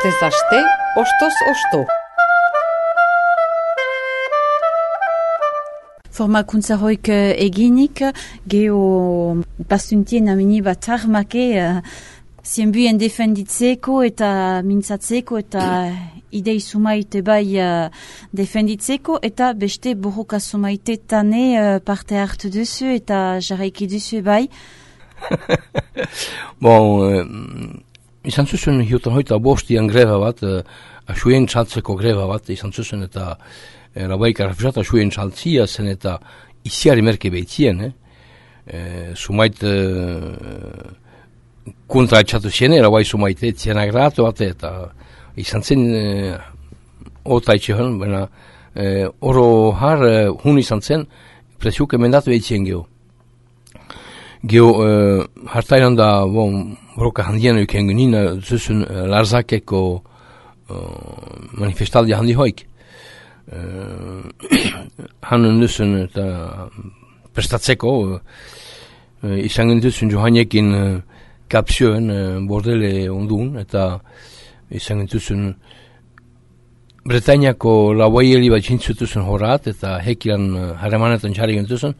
Astez aste, ostoz osto. Formakuntza hoik eginik, geho bastuntien amini bat armake zienbuien defenditzeko eta mintzatzeko eta idei sumaite bai defenditzeko eta beste borroka sumaite tane parte hartu duzu eta jarraiki duzu bai. Bon, izan zuzun hiutan hoita bostian greba bat, asuen txaltzeko greba bat izan zuzun eta Rabaik arrafusata asuen txaltzia zen eta isiari merke behitzien, sumait kontra etxatu ziene, Rabai sumaite etzien agratu bat eta izan zen ota etxean, baina oro har hun izan zen presiuk emendatu behitzien geho. Geho hartainan da broka handien euken genina zuzun Larzakeko manifestaldia handi hoik. Hanen duzun eta prestatzeko izan genduzun johanekin kapzioen bordele ondun eta izan genduzun Bretainiako lauaieli bat jintzutuzun horat eta hekilan harremanetan txarri genduzun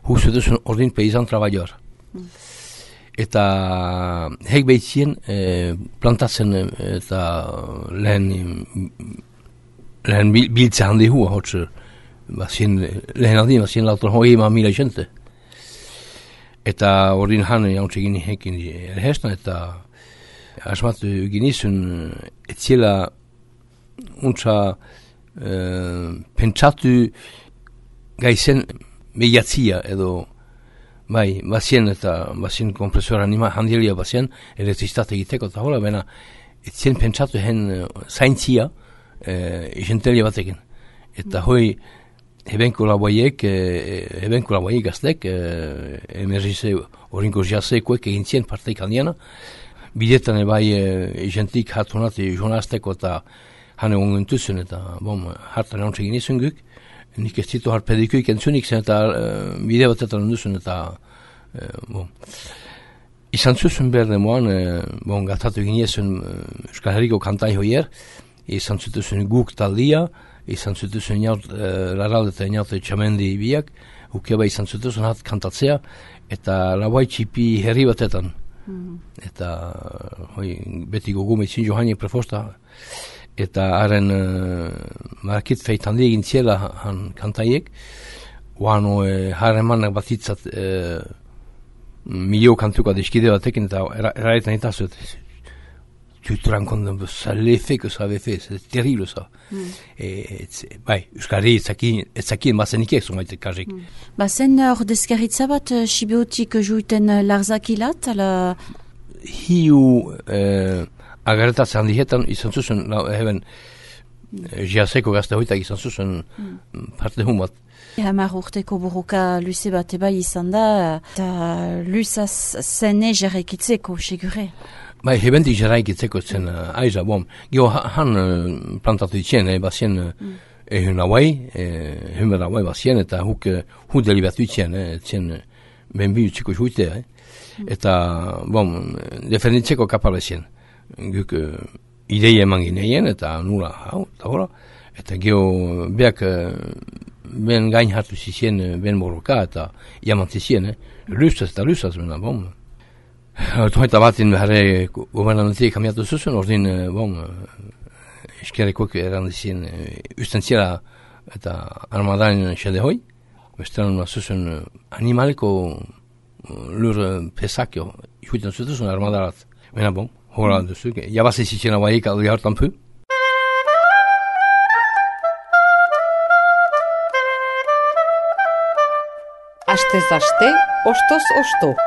huzutuzun ordin peizan trabajor. Eta hek behitzien plantatzen eta lehen biltze handi hua hotzer lehen aldin bazien lautan hoi ema mila jente eta ordin hane jauntze gini hekin erhestan eta asmatu ginizun etziela untza pentsatu gaizen mediatzia edo bai, bazien eta bazien kompresora handielia bazien elektriztate egiteko eta hola bena etzien pentsatu hen zaintzia izentelia batekin. Eta hoi hebenko laboiek gaztek emerzize orinko jazekoek egintzien parteik handiana. Bidetan bai izentik hatunat jonazteko eta hane ongentuzun eta hartan egon txegin izun guk. Nik ez ditu harpedikoik entzunik zen eta bide batetan onduzun eta izan zuzun behar demoan gatatu egin ezun Euskal Herriko kantai hoier izan zutuzun guk taldia, izan zutuzun laralde eta inaute txamendi biak, ukeba izan zutuzun hat kantatzea, eta labai txipi herri batetan. Eta beti gogume itzin johani prefosta, eta haren marakit feit handi egin ziela han kantaiek, oano haren manak batitzat milio kantuka deskide batekin, eta eraetan itazut. Tu te rends compte de l'effet que ça avait fait, c'est terrible ça. Bai, Euskari etzakien bazenikek zumaite kajik. Bazen ordezkaritza bat Sibeotik juiten Larzakilat, ala... Hiu agarretatzen handietan izan zuzun, heben jiazeko gazte hoitak izan zuzun parte hun bat. Hamar urteko borroka luze bat eba izan da, eta luzaz zene jarraikitzeko, segure. Bai, hebendik jarraikitzeko zen aiza, geho han plantatu ditzen, bazien ehun hauai bazien, eta huk delibatu ditzen, zen benbi utziko juitea, eta, defenditzeko kapala zen. Guk ideia eman gineien, eta nula, eta geho beak ben gain hartu zizien ben borroka, eta jamantizien, luzaz eta luzaz, Eta batin behar gobernantik kamiatu zuzun, ordin, eskerekoek erandizien ustentziela eta armadain xede hoi. Bestean zuzun animaliko lur pesakio ikuiten zuzun armadarat. Bena hola duzu, jabaz ezitien hauaik aldi hartan pu. Astez aste, ostoz osto.